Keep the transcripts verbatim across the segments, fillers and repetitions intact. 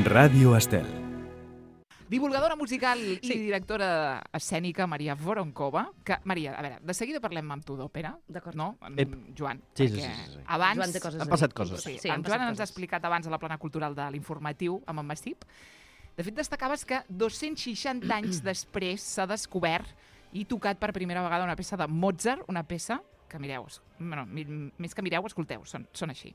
Ràdio Estel. Divulgadora musical i Sí. directora escènica Maria Voronkova, que, Maria, a veure, de seguida parlem amb tu d'òpera, D'acord. no? En Ep. Joan. Sí, sí, perquè sí, sí, sí. Abans, Joan té coses Han a passat dir. coses. Sí, Sí, en han Joan passat ens ha coses. explicat abans a la plana cultural de l'informatiu amb en Massip. De fet, destacaves que dos-cents seixanta anys després s'ha descobert i tocat per primera vegada una peça de Mozart, una peça que mireu, bueno, mi- més que mireu, escolteu, són, són així.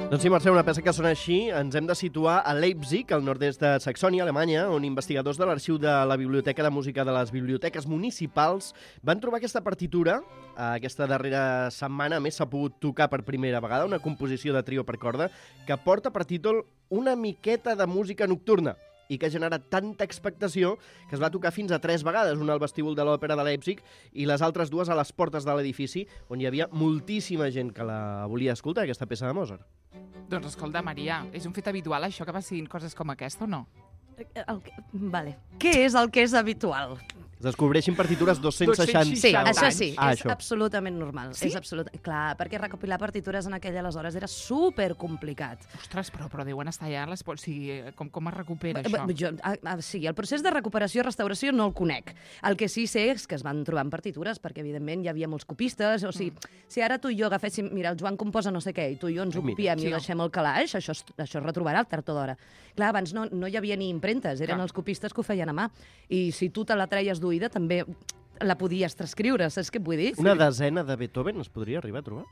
Doncs sí, Mercè, una peça que sona així. Ens hem de situar a Leipzig, al nord-est de Saxònia, Alemanya, on investigadors de l'arxiu de la Biblioteca de Música de les Biblioteques Municipals van trobar aquesta partitura. Aquesta darrera setmana, a més, s'ha pogut tocar per primera vegada una composició de trio per corda que porta per títol Una miqueta de música nocturna i que ha generat tanta expectació que es va tocar fins a tres vegades, una al vestíbul de l'Òpera de Leipzig i les altres dues a les portes de l'edifici, on hi havia moltíssima gent que la volia escoltar, aquesta peça de Mozart. Doncs escolta, Maria, és un fet habitual això que passin coses com aquesta o no? El que... Vale. Què és el que és habitual? Es descobreixin partitures dos-cents seixanta... Sí, seixanta això anys. sí, Ah, és això. absolutament normal. Sí? És absolut... Clar, perquè recopilar partitures en aquella aleshores era supercomplicat. Ostres, però, però deuen estar ja les... O sigui, com, com es recupera Eh, això? bé, Jo, ah, ah, sí, el procés de recuperació i restauració no el conec. El que sí sé és que es van trobar en partitures, perquè evidentment hi havia molts copistes, o sigui, mm. si ara tu i jo agaféssim, mira, el Joan composa no sé què, i tu i jo ens ho Ai, mira. copiem Sí, i ho no. deixem al calaix, això, es- això es retrobarà al tard o d'hora. Clar, abans no, no hi havia ni impremtes, eren Clar. els copistes que ho feien a mà. I si tu te la treies d'oïda, també la podies transcriure, saps què et vull dir? Una desena de Beethoven es podria arribar a trobar?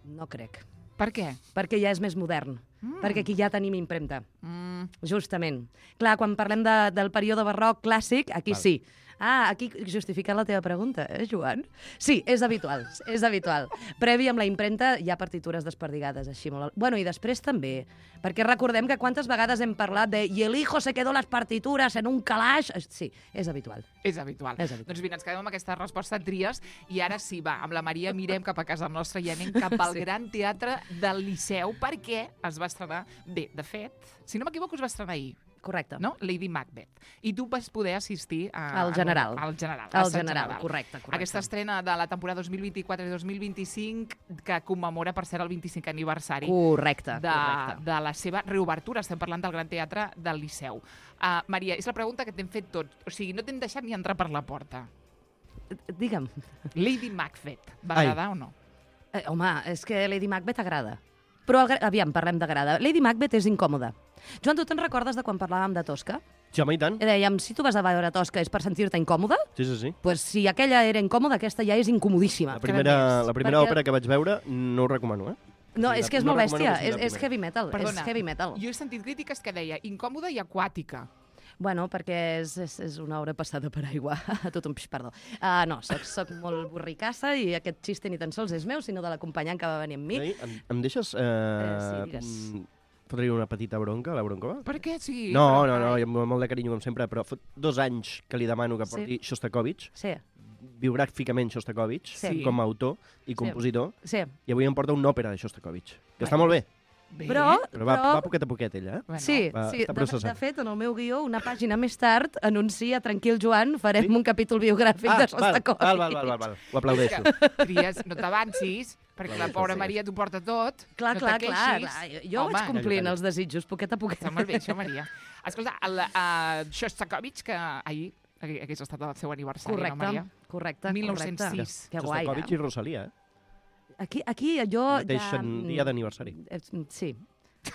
No crec. Per què? Perquè ja és més modern. Mm. Perquè aquí ja tenim impremta. Mm, Justament. Clar, quan parlem de, del període barroc clàssic, aquí Val. sí. Ah, aquí justifica la teva pregunta, eh, Joan? Sí, és habitual, és habitual. Previ amb la impremta hi ha partitures desperdigades, així molt... al- Bueno, i després també, perquè recordem que quantes vegades hem parlat de i el hijo se quedó las partituras en un calaix... Sí, és habitual. és habitual. És habitual. Doncs mira, ens quedem amb aquesta resposta tries i ara sí, va, amb la Maria mirem cap a casa nostra i anem cap al Sí. Gran Teatre del Liceu perquè es va estrenar... Bé, de fet, si no m'equivoco, es va estrenar ahir, Correcte. no? Lady Macbeth. I tu vas poder assistir a... Al general. Al general. El assaig general, correcte, correcte. Aquesta estrena de la temporada dos mil vint-i-quatre i dos mil vint-i-cinc que commemora, per cert, el vint-i-cinquè aniversari Correcte, de, correcte. de la seva reobertura. Estem parlant del Gran Teatre del Liceu. Uh, Maria, és la pregunta que t'hem fet tots. O sigui, no t'hem deixat ni entrar per la porta. Digue'm. Lady Macbeth, va Ai. agradar o no? Eh, home, és que Lady Macbeth agrada. Però, agra- aviam, parlem d'agrada. Lady Macbeth és incòmoda. Joan, tu te'n recordes de quan parlàvem de Tosca? Sí, home, i tant. I dèiem, si tu vas a veure Tosca és per sentir-te incòmode? Sí, sí, sí. Pues si aquella era incòmoda, aquesta ja és incomodíssima. La primera, més? la primera Perquè- òpera que vaig veure no ho recomano, eh? No, Sí, és la- que és no molt recomano bèstia, que sigui és, la és primera. heavy metal, Perdona, és heavy metal. jo he sentit crítiques que deia incòmoda i aquàtica. Bueno, perquè és, és, és una obra passada per aigua. A tot un pix, perdó. Uh, no, soc, soc molt borricassa i aquest xiste ni tan sols és meu, sinó de l'acompanyant que va venir amb mi. Ei, em, em deixes... Eh, Eh, sí, digues. mm, Fotre una petita bronca a la Broncova? Per què? Sí, No, però, no, no, carai. i amb molt de carinyo, com sempre, però fot dos anys que li demano que porti Sí. Shostakovich, Sí, biogràficament Shostakovich, Sí. com a autor i compositor, sí. i avui em porta una òpera de Shostakovich, que Bueno. està molt bé, Bé. Però, però va, però va poquet a poquet, ella, eh? Bueno, sí, va, sí. està De, processant. de fet, en el meu guió, una pàgina més tard, anuncia, tranquil, Joan, farem Sí? un capítol biogràfic Ah, de val, Shostakovich. val, val, val, val, val, ho aplaudeixo. Que tries, no t'avancis, perquè la Aplaudeixo, pobra sí. Maria t'ho porta tot. Clar, no clar, te clar, queixis. clar. Jo Home, vaig complint calla. els desitjos, poquet a poquet. Està molt bé, això, Maria. Escolta, el uh, Shostakovich, que ahir hagués estat el seu aniversari, Correcte, no, Maria? correcte, mil nou-cents correcte. sis. Que guai, Shostakovich eh? i Rosalia, eh? Aquí, aquí jo Mateix ja... dia d'aniversari. Eh, Sí.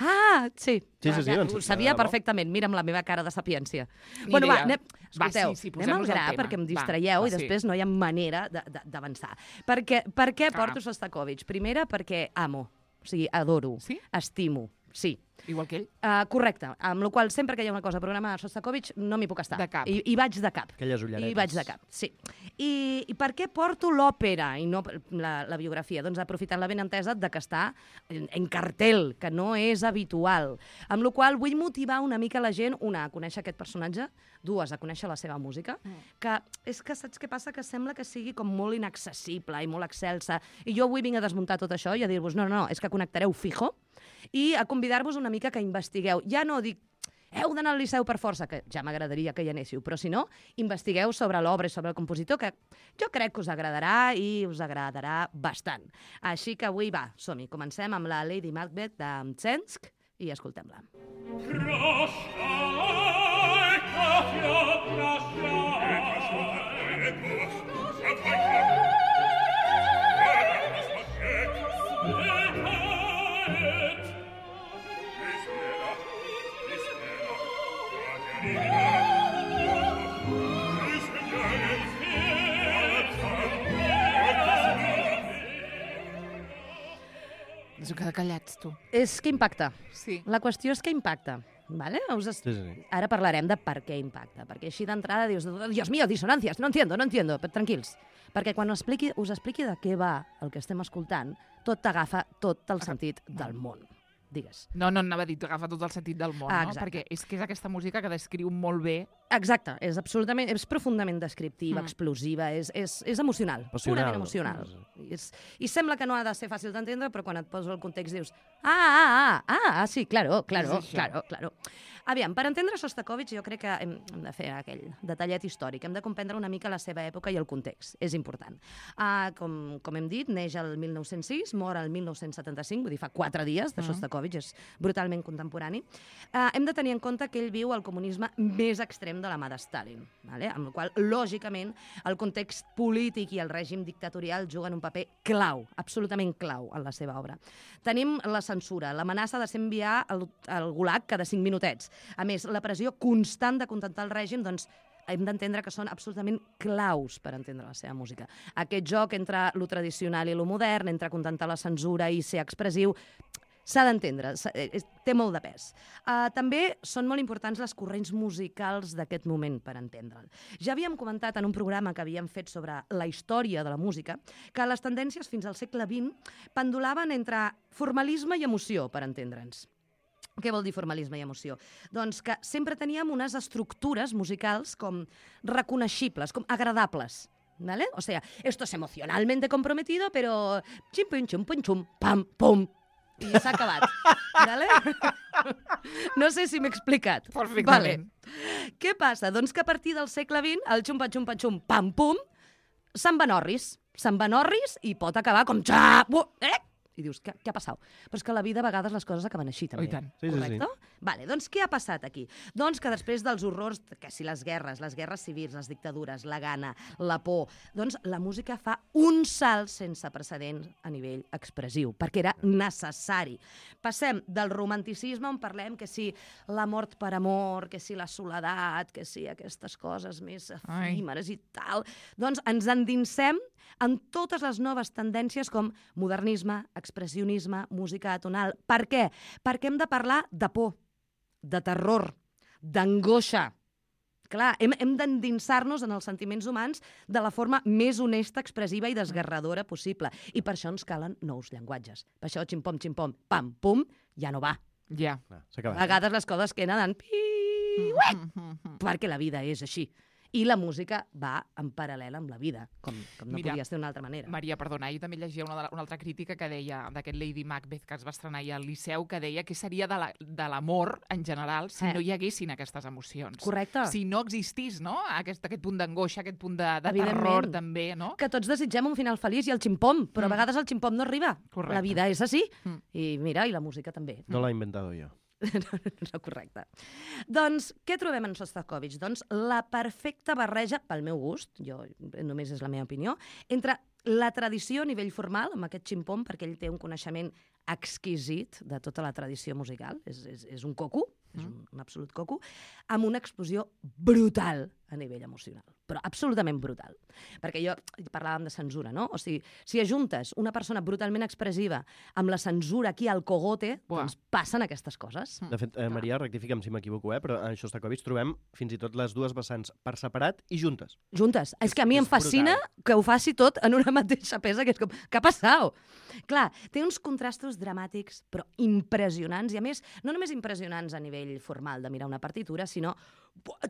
Ah, sí. Sí, sí, sí, Ja, doncs, ho sabia de debò. perfectament, mira amb la meva cara de sapiència. Ni Bueno, va, idea. anem, Va, escolteu, sí, sí, anem al posem-nos al gra tema. perquè em Va, distraieu va, i sí. després no hi ha manera de- de- d'avançar. Per què, per què Clar. porto Shostakovich? Primera, perquè amo, o sigui, adoro, Sí? estimo, sí. Igual que ell. Uh, correcte, amb la qual sempre que hi ha una cosa programada a Sostakovich no m'hi puc estar. De cap. I, I vaig de cap. Aquelles ulleretes. I vaig de cap, sí. I, i per què porto l'òpera i no la, la biografia? Doncs aprofitant la benentesa de que està en, en cartel, que no és habitual. Amb la qual vull motivar una mica la gent, una, a conèixer aquest personatge, dues, a conèixer la seva música, mm. que és que saps què passa? Que sembla que sigui com molt inaccessible i molt excelsa. I jo avui vinc a desmuntar tot això i a dir-vos, no, no, no, és que connectareu fijo, i a convidar-vos una mica que investigueu. Ja no dic, heu d'anar al Liceu per força, que ja m'agradaria que hi anéssiu, però si no, investigueu sobre l'obra i sobre el compositor, que jo crec que us agradarà i us agradarà bastant. Així que avui, va, som-hi. Comencem amb la Lady Macbeth de Mtsensk i escoltem-la. Ens heu quedat callats, tu. És que impacta. Sí. La qüestió és que impacta. ¿Vale? Us es... Sí, sí, sí. Ara parlarem de per què impacta, perquè així d'entrada dius, Dios mío, dissonàncies, no entiendo, no entiendo, però tranquils. Perquè quan expliqui, us expliqui de què va el que estem escoltant, tot t'agafa tot el sentit del món. Digues. No, no, anava a dir, agafa tot el sentit del món, Ah, no? exacte. Perquè és que és aquesta música que descriu molt bé. Exacte, és absolutament, és profundament descriptiva, Mm. explosiva, és, és, és emocional, Passional. purament emocional. I, és, I sembla que no ha de ser fàcil d'entendre, però quan et poso el context dius ah, ah, ah, ah, ah sí, claro, claro, És això. claro, claro. Aviam, per entendre Sostakovich jo crec que hem, hem de fer aquell detallet històric, hem de comprendre una mica la seva època i el context, és important. Uh, com, com hem dit, neix el mil nou-cents sis, mor el mil nou-cents setanta-cinc, vull dir, fa quatre dies de Mm. Sostakovich, és brutalment contemporani. Uh, hem de tenir en compte que ell viu el comunisme més extrem de la mà de Stalin, vale? Amb la qual, lògicament, el context polític i el règim dictatorial juguen un paper clau, absolutament clau en la seva obra. Tenim la censura, l'amenaça de ser enviar al, al gulag cada cinc minutets. A més, la pressió constant de contentar el règim, doncs, hem d'entendre que són absolutament claus per entendre la seva música. Aquest joc entre lo tradicional i lo modern, entre contentar la censura i ser expressiu, s'ha d'entendre, s'ha- eh, és- té molt de pes. Uh, també són molt importants les corrents musicals d'aquest moment per entendre'l. Ja havíem comentat en un programa que havíem fet sobre la història de la música que les tendències fins al segle vint pendulaven entre formalisme i emoció, per entendre'ns. Què vol dir formalisme i emoció? Doncs que sempre teníem unes estructures musicals com reconeixibles, com agradables. ¿Vale? O sea, esto es emocionalmente comprometido, pero chim, pum, chum, pum, chum, pam, pum. I s'ha acabat. Vale? No sé si m'he explicat. Perfectament. Vale. Què passa? Doncs que a partir del segle vint, el xumpa-xumpa-xum, pam-pum, se'n van orris. Se'n van orris i pot acabar com xa... bu- Eh? I dius, què, què ha passat? Però és que a la vida a vegades les coses acaben així, també. Oh, i tant. Sí, sí, sí. Correcte? Vale, doncs què ha passat aquí? Doncs que després dels horrors, que si les guerres, les guerres civils, les dictadures, la gana, la por, doncs la música fa un salt sense precedents a nivell expressiu, perquè era necessari. Passem del romanticisme on parlem que si la mort per amor, que si la soledat, que si aquestes coses més efímeres i tal, doncs ens endinsem en totes les noves tendències com modernisme, expressionisme, música atonal. Per què? Perquè hem de parlar de por, de terror, d'angoixa. Clar, hem, hem d'endinsar-nos en els sentiments humans de la forma més honesta, expressiva i desgarradora possible. I per això ens calen nous llenguatges. Per això, ximpom, ximpom, pam, pum, ja no va. Ja. Clar, s'ha A acabat. vegades les coses queden en pi, perquè la vida és així. I la música va en paral·lel amb la vida, com, com no Mira, podia ser d'una altra manera. Maria, perdona, jo també llegia una, de la- una altra crítica que deia d'aquest Lady Macbeth que es va estrenar ahir al Liceu, que deia que seria de la- de l'amor en general si Eh. no hi haguessin aquestes emocions. Correcte. Si no existís, no?, aquest, aquest punt d'angoixa, aquest punt de, de Evidentment. terror també, no? Que tots desitgem un final feliç i el ximpom, però Mm. a vegades el ximpom no arriba. Correcte. La vida és així. Mm. I mira, i la música també. No l'ha inventado jo. No, correcte. Doncs, què trobem en Sostakovich? Doncs la perfecta barreja, pel meu gust, jo només és la meva opinió, entre la tradició a nivell formal, amb aquest ximpom, perquè ell té un coneixement exquisit de tota la tradició musical, és, és, és un coco, és un, un absolut coco, amb una explosió brutal a nivell emocional, però absolutament brutal. Perquè jo parlàvem de censura, no? O sigui, si ajuntes una persona brutalment expressiva amb la censura aquí al cogote, Buah. doncs passen aquestes coses. De fet, eh, Maria, rectifica'm si m'equivoco, eh, però en Shostakovich trobem fins i tot les dues vessants per separat i juntes. Juntes. És que a mi és em fascina brutal. que ho faci tot en una mateixa peça, que és com, què ha passat? Clar, té uns contrastos dramàtics, però impressionants, i a més, no només impressionants a nivell formal de mirar una partitura, sinó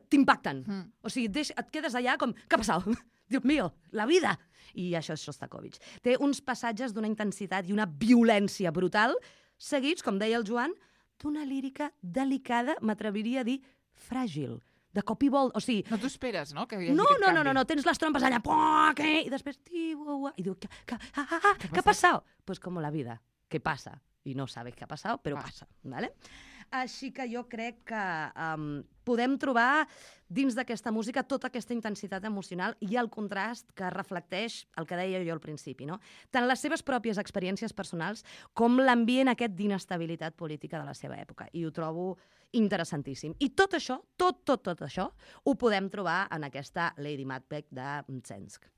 t'impacten. Mm. O sigui, deix, et quedes allà com, què ha passat? Dios mío, la vida! I això és Shostakovich. Té uns passatges d'una intensitat i una violència brutal, seguits, com deia el Joan, d'una lírica delicada, m'atreviria a dir fràgil, de cop i vol... O sigui, No t'ho esperes, no? Que hi hagi no, aquest no, no, canvi. no, no, tens les trompes allà, puah, què? I després, tiua, i diu, què, què, ah, ah, ah, què ha passat? Pues como la vida, que passa. I no sabes què ha passat, però Va. passa. ¿Vale? Així que jo crec que um, podem trobar dins d'aquesta música tota aquesta intensitat emocional i el contrast que reflecteix el que deia jo al principi, no? Tant les seves pròpies experiències personals com l'ambient aquest d'inestabilitat política de la seva època. I ho trobo interessantíssim. I tot això, tot, tot, tot això, ho podem trobar en aquesta Lady Macbeth de Mtsensk.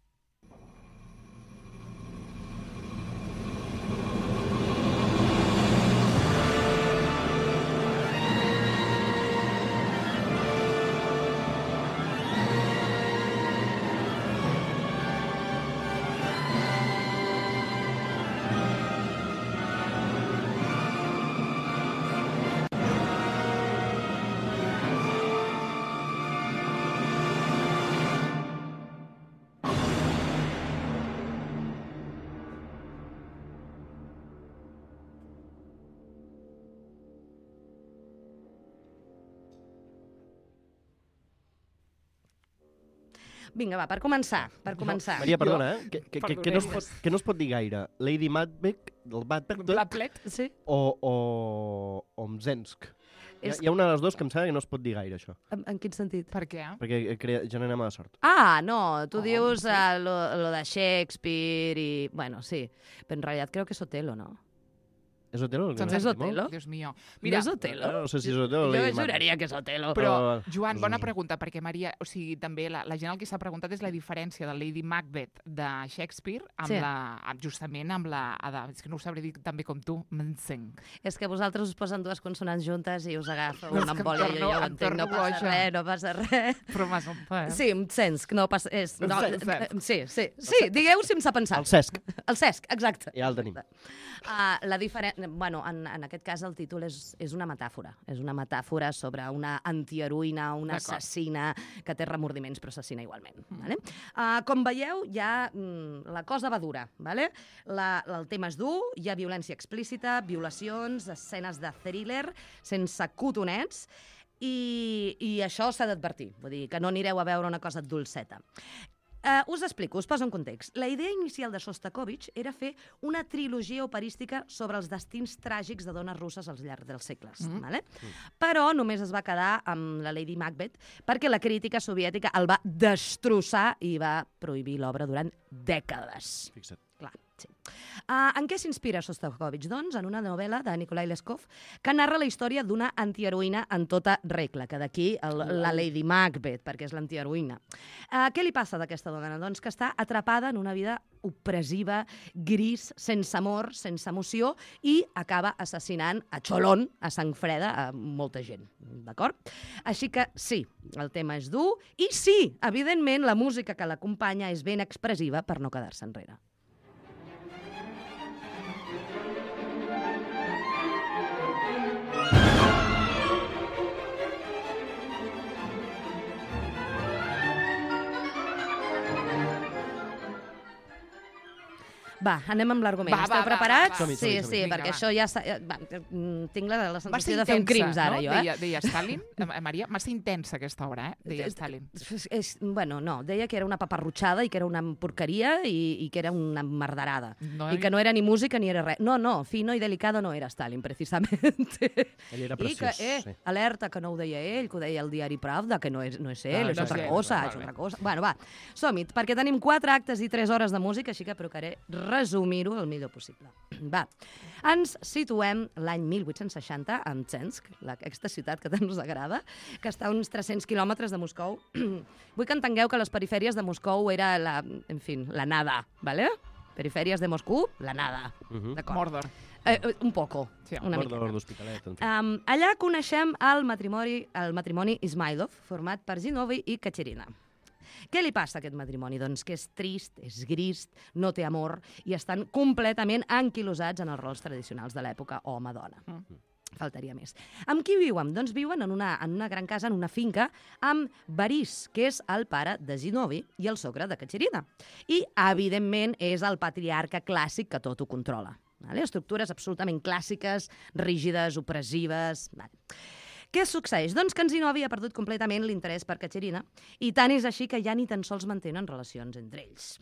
Vinga, va, per començar, per començar. Maria, perdona, eh? Que, que, que, que, no es Perdonem. pot, que no es pot dir gaire. Lady Macbeth, el Macbeth Blaplet? Sí? o, o, o Mzensk. Hi ha, És- hi ha una de les dues que em sembla que no es pot dir gaire, això. En, en quin sentit? Per què? Perquè crea, genera mala sort. Ah, no, tu Oh, dius sí. uh, lo, lo de Shakespeare i... Bueno, sí, però en realitat creo que és Otelo, no? És Otelo? el que Doncs no és sentim molt? Otelo. Dios mío. Mira, Mira, no és Otelo? No sé si és Otelo o Jo Lady Macbeth. juraria que és Otelo. però, Però- Joan, bona Mm. pregunta, perquè Maria, o sigui, també la, la gent el que s'ha preguntat és la diferència de Lady Macbeth de Shakespeare amb Sí. la, amb, justament amb la... Ada, és que no ho sabré dir també com tu, Mzensk. És que vosaltres us posen dues consonants juntes i us agafa No, és una que em embòlia, jo torno- ja ho em entenc, no torno passa boja. res, no passa res. Però m'has entès. Sí, Mtsensk, no passa... És, no, Mtsensk. eh, sí, sí, sí, digueu sense pensar. El Cesc, El Cesc, exacte. ja el tenim. Uh, la diferen... bueno, en, en aquest cas el títol és, és una metàfora. És una metàfora sobre una antiheroïna, una D'acord. assassina que té remordiments però assassina igualment. Mm. Vale? Uh, com veieu, ja mm, la cosa va dura. Vale? La, el tema és dur, hi ha violència explícita, violacions, escenes de thriller, sense cotonets, i, i això s'ha d'advertir. Vull dir, que no anireu a veure una cosa dolceta. Uh, us explico, us poso en context. La idea inicial de Shostakovich era fer una trilogia operística sobre els destins tràgics de dones russes al llarg dels segles. Mm. Vale? Mm. Però només es va quedar amb la Lady Macbeth perquè la crítica soviètica el va destrossar i va prohibir l'obra durant dècades. Fixa't. Clar, sí. Uh, en què s'inspira Shostakovich? Doncs en una novel·la de Nikolai Leskov que narra la història d'una antiheroïna en tota regla, que d'aquí el- la Lady Macbeth, perquè és l'antiheroïna. Uh, què li passa d'aquesta dona? Doncs que està atrapada en una vida opressiva, gris, sense amor, sense emoció, i acaba assassinant a xolón, a sang freda, a molta gent. D'acord? Així que sí, el tema és dur, i sí, evidentment, la música que l'acompanya és ben expressiva per no quedar-se enrere. Va, anem amb l'argument. Va, va, Esteu va, preparats? va, va. Som-hi, Sí, som-hi, sí, som-hi. perquè Vinga, això ja... s'ha- Va, mm, tinc la, la Va ser sensació de fer un crims intensa, ara, no? jo, eh? Deia, deia Stalin, eh, Maria, massa intensa aquesta obra, eh? Deia Stalin. És, és, bueno, no, deia que era una paparrutxada i que era una porqueria i, i que era una merderada. No I que no era ni música ni era res. No, no, fino i delicado no era Stalin, precisament. Ell era I que, preciós. eh, sí. alerta, que no ho deia ell, que ho deia el diari Pravda, que no és, no és ell, Ah, és no altra és ell, cosa, val és bé. altra cosa. Bueno, va, som-hi, perquè tenim quatre actes i tres hores de música, així que procuraré resumir-ho el millor possible. Va, ens situem l'any mil vuit-cents seixanta a Mtsensk, aquesta ciutat que tant us agrada, que està a uns tres-cents quilòmetres de Moscou. Vull que entengueu que les perifèries de Moscou era la, en fi, la nada, ¿vale? Perifèries de Moscou, la nada. Uh-huh. D'acord. Mordor. Eh, un poco, Sí, una Mordor miqueta. d'Hospitalet, en fi. Um, allà coneixem el matrimoni, el matrimoni Ismailov, format per Zinovy i Katerina. Què li passa a aquest matrimoni? Doncs que és trist, és gris, no té amor i estan completament anquilosats en els rols tradicionals de l'època home-dona. Mm. Faltaria més. Amb qui viuen? Doncs viuen en una, en una gran casa, en una finca, amb Boris, que és el pare de Zinovy i el sogre de Katerina. I, evidentment, és el patriarca clàssic que tot ho controla. Vale? Estructures absolutament clàssiques, rígides, opressives... Vale. Què succeeix? Doncs que en Zinovy ha perdut completament l'interès per Katerina i tant és així que ja ni tan sols mantenen relacions entre ells.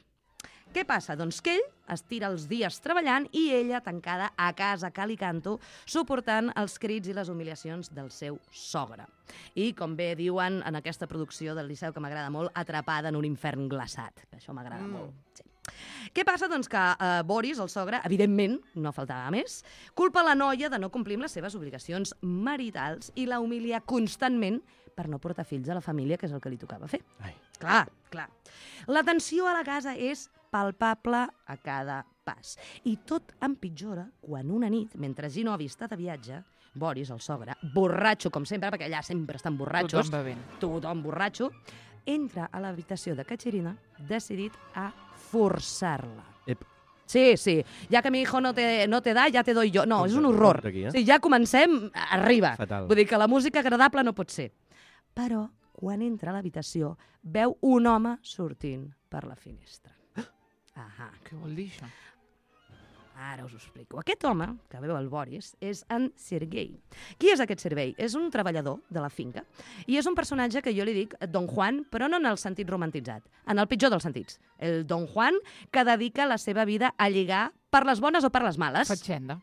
Què passa? Doncs que ell es tira els dies treballant i ella tancada a casa cal i canto, suportant els crits i les humiliacions del seu sogre. I, com bé diuen en aquesta producció del Liceu, que m'agrada molt, atrapada en un infern glaçat, que això m'agrada mm. molt. Sí. Què passa? Doncs que eh, Boris, el sogre, evidentment, no faltava més, culpa la noia de no complir amb les seves obligacions maritals i la humilia constantment per no portar fills a la família, que és el que li tocava fer. Ai. Clar, clar. La tensió a la casa és palpable a cada pas. I tot empitjora quan una nit, mentre Zinovy està de viatge, Boris, el sogre, borratxo, com sempre, perquè allà sempre estan borratxos, Tothom bevent. tothom borratxo, entra a l'habitació de Katerina decidit a forçar-la. Ep. Sí, sí. Ja que mi hijo no te, no te da, ja te doy yo. No, és un horror. Aquí, eh? Sí, ja comencem, arriba. Fatal. Vull dir que la música agradable no pot ser. Però, quan entra a l'habitació, veu un home sortint per la finestra. Ahà. Què vol dir això? Ara us ho explico. Aquest home, que veu el Boris, és en Sergei. Qui és aquest Sergei? És un treballador de la finca i és un personatge que jo li dic Don Juan, però no en el sentit romantitzat, en el pitjor dels sentits. El Don Juan que dedica la seva vida a lligar per les bones o per les males. Fatxenda.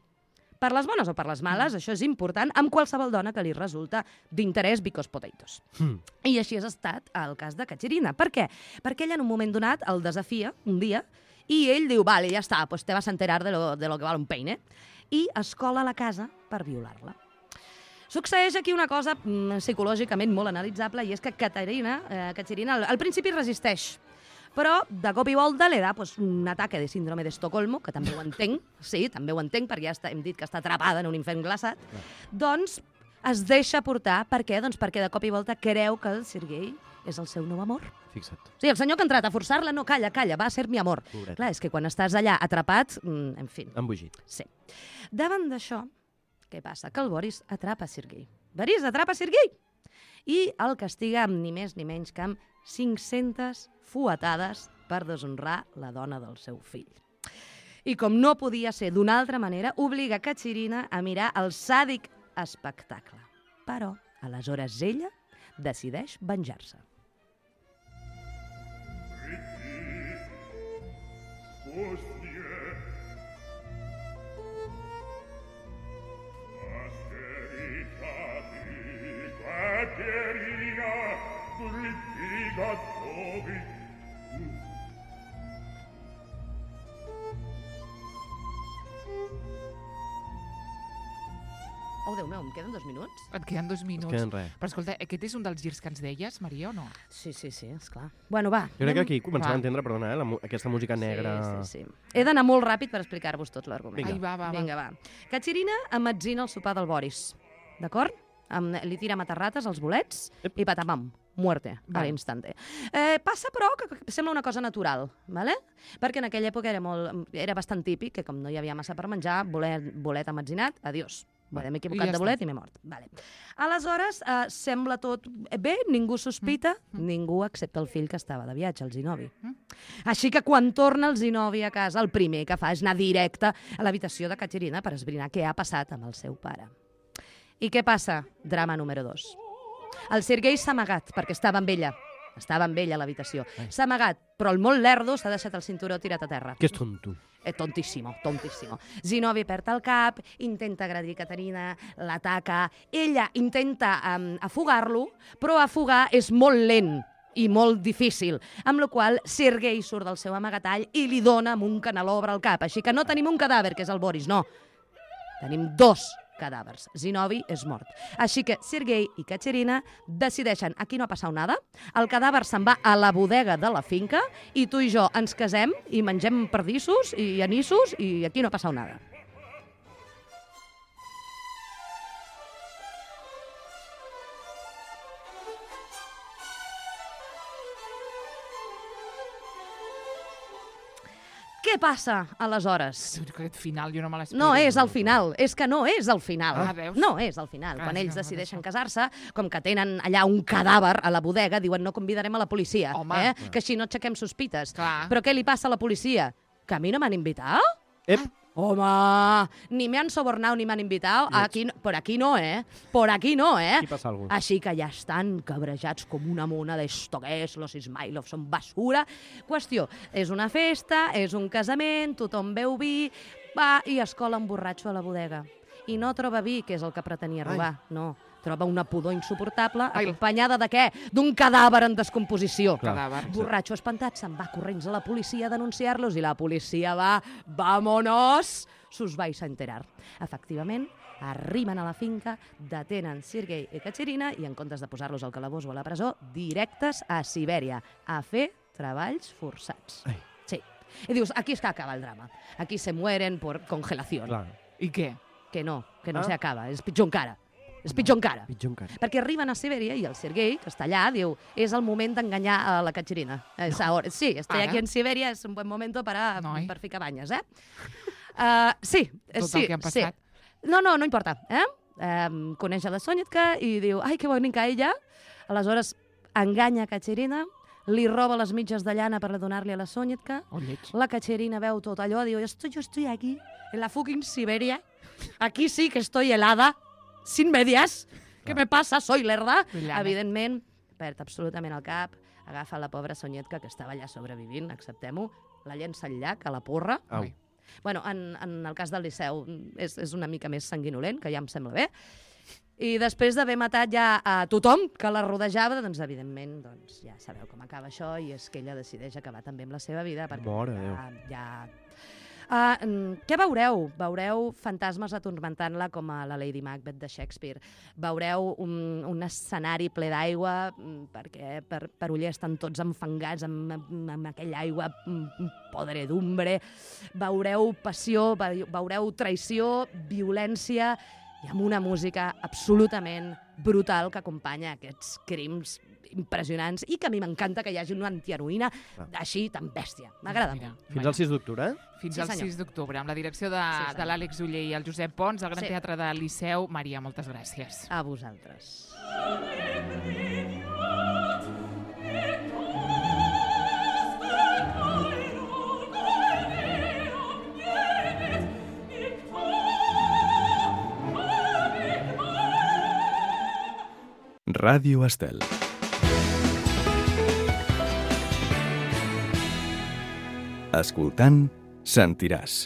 Per les bones o per les males, mm. això és important, amb qualsevol dona que li resulta d'interès because potatoes. Mm. I així ha estat el cas de Katerina. Per què? Perquè ella en un moment donat el desafia, un dia, i ell diu, vale, ja està, pues te vas a enterar de lo, de lo que val un peine. I es cola a la casa per violar-la. Succeeix aquí una cosa mm, psicològicament molt analitzable i és que Katerina, eh, Katerina al, al principi resisteix, però de cop i volta li da pues, un ataque de síndrome d'Estocolmo, que també ho entenc, sí, també ho entenc, perquè ja està, hem dit que està atrapada en un infern glaçat, ah. doncs es deixa portar. Per què? Doncs perquè de cop i volta creu que el Sergei és el seu nou amor. Fixa't. Sí, el senyor que ha entrat a forçar-la, no, calla, calla, va ser mi amor. Pobret. Clar, és que quan estàs allà atrapat, mm, en fi. Embogit. Sí. Davant d'això, què passa? Que el Boris atrapa Sergei. Boris atrapa Sergei! I el castiga amb ni més ni menys que amb cinc-centes fuetades per deshonrar la dona del seu fill. I com no podia ser d'una altra manera, obliga Katerina a mirar el sàdic espectacle. Però, aleshores, ella decideix venjar-se. Oh, Déu meu, em queden dos minuts? Et queden dos minuts. queden res. Però escolta, aquest és un dels girs que ens deies, Maria, o no? Sí, sí, sí, esclar. Bueno, va. Jo crec que anem- aquí comencem Va. a entendre, perdona, eh, la, mu- aquesta música negra... Sí, sí, sí. He d'anar molt ràpid per explicar-vos tot l'argument. Vinga. Ai, va, va, va. Vinga, va. Katerina amatzina el sopar del Boris, d'acord? Amb, li tira matarrates als bolets Ep. i patamam, muerte, a Vale. l'instante. Eh, passa, però, que, que sembla una cosa natural, ¿vale? Perquè en aquella època era, molt, era bastant típic que, com no hi havia massa per menjar, bolet, bolet amatzinat, adiós. Vale, m'he equivocat I ja de està. bolet i m'he mort. Vale. Aleshores, eh, sembla tot bé, ningú sospita, mm. ningú excepte el fill que estava de viatge, el Zinovy. Mm. Així que quan torna el Zinovy a casa, el primer que fa és anar directe a l'habitació de Katerina per esbrinar què ha passat amb el seu pare. I què passa? Drama número dos. El Sergei s'ha amagat perquè estava amb ella. Estava amb ella a l'habitació. S'ha amagat, però el molt lerdo s'ha deixat el cinturó tirat a terra. Que és tonto. Eh, tontíssimo, tontíssimo. Zinovy perd el cap, intenta agredir Katerina, l'ataca, ella intenta um, afogar-lo, però afogar és molt lent. i molt difícil, amb la qual Sergei surt del seu amagatall i li dona amb un canelobre al cap. Així que no tenim un cadàver, que és el Boris, no. Tenim dos cadàvers. Zinovi és mort. Així que Sergei i Katerina decideixen, aquí no ha passat nada, el cadàver se'n va a la bodega de la finca i tu i jo ens casem i mengem perdissos i anissos i aquí no ha passat nada. Què passa, aleshores? Aquest final jo no me l'explico. No és el final, és que no és el final. Ah, veus? No és el final. Ah, Quan sí, ells no, decideixen no. casar-se, com que tenen allà un cadàver a la bodega, diuen no convidarem a la policia, Home. eh? que així no aixequem sospites. Clar. Però què li passa a la policia? Que a mi no m'han invitat? Ep, Home, ni me han sobornado ni me han invitado. Aquí, no- por aquí no, eh? Por aquí no, eh? aquí passa alguna cosa. Així que ja estan cabrejats com una mona d'esto que és, los Ismailov són basura. Qüestió, és una festa, és un casament, tothom beu vi, va i es cola un borratxo a la bodega. I no troba vi, que és el que pretenia robar, no. Troba una pudor insuportable, Ai. acompanyada de què? D'un cadàver en descomposició. Cadàver. Borratxo espantat se'n va corrents a la policia a denunciar-los i la policia va, vámonos, sus vais a enterar. Efectivament, arriben a la finca, detenen Sergei i Katerina i en comptes de posar-los al calabós o a la presó, directes a Sibèria a fer treballs forçats. Ai. Sí. I dius, aquí és que acaba el drama. Aquí se mueren por congelación. Clar, I què? Que no, que no Ah. se acaba. És pitjor encara. És pitjor encara. pitjor encara. Perquè arriben a Sibèria i el Sergei, que està allà, diu, és el moment d'enganyar a la Katerina. Es ahora. Sí, estoy Ara? aquí en Siberia, es un buen momento para, Noi. per ficar banyes, eh? Uh, sí, Tot sí, el que han passat. Sí. No, no, no importa, eh? Um, coneix a la Sonyatka i diu, ai, que bonica ella. Aleshores, enganya a Katerina, li roba les mitges de llana per donar-li a la Sonyatka. Oh, lleig. La Katerina veu tot allò, diu, estoy, yo estoy aquí, en la fucking Siberia. Aquí sí que estoy helada, sin medias. Què me passa? Soy lerda. Llana. Evidentment, perd absolutament el cap, agafa la pobra Sonyatka, que estava allà sobrevivint, acceptem-ho, la llença al llac, a la porra. Au. Ai. Bueno, en, en el cas del Liceu és, és una mica més sanguinolent, que ja em sembla bé. I després d'haver matat ja a tothom que la rodejava, doncs, evidentment, doncs, ja sabeu com acaba això, i és que ella decideix acabar també amb la seva vida, perquè Mare de ja... ja... Uh, què veureu? Veureu fantasmes atormentant-la com a la Lady Macbeth de Shakespeare. Veureu un, un escenari ple d'aigua, mm, perquè per, per uller estan tots enfangats amb, amb, amb aquella aigua mm, podredumbre. Veureu passió, ve- veureu traïció, violència, i amb una música absolutament brutal que acompanya aquests crims impressionants i que a mi m'encanta que hi hagi una antiheroïna així tan bèstia. M'agrada Mira, molt. Fins al sis d'octubre, eh? Fins Sí, al senyor. sis d'octubre, amb la direcció de, Sí, senyor. de l'Àlex Uller i el Josep Pons, al Gran Sí. Teatre del Liceu. Maria, moltes gràcies. A vosaltres. Ràdio Estel. Escoltant, sentiràs.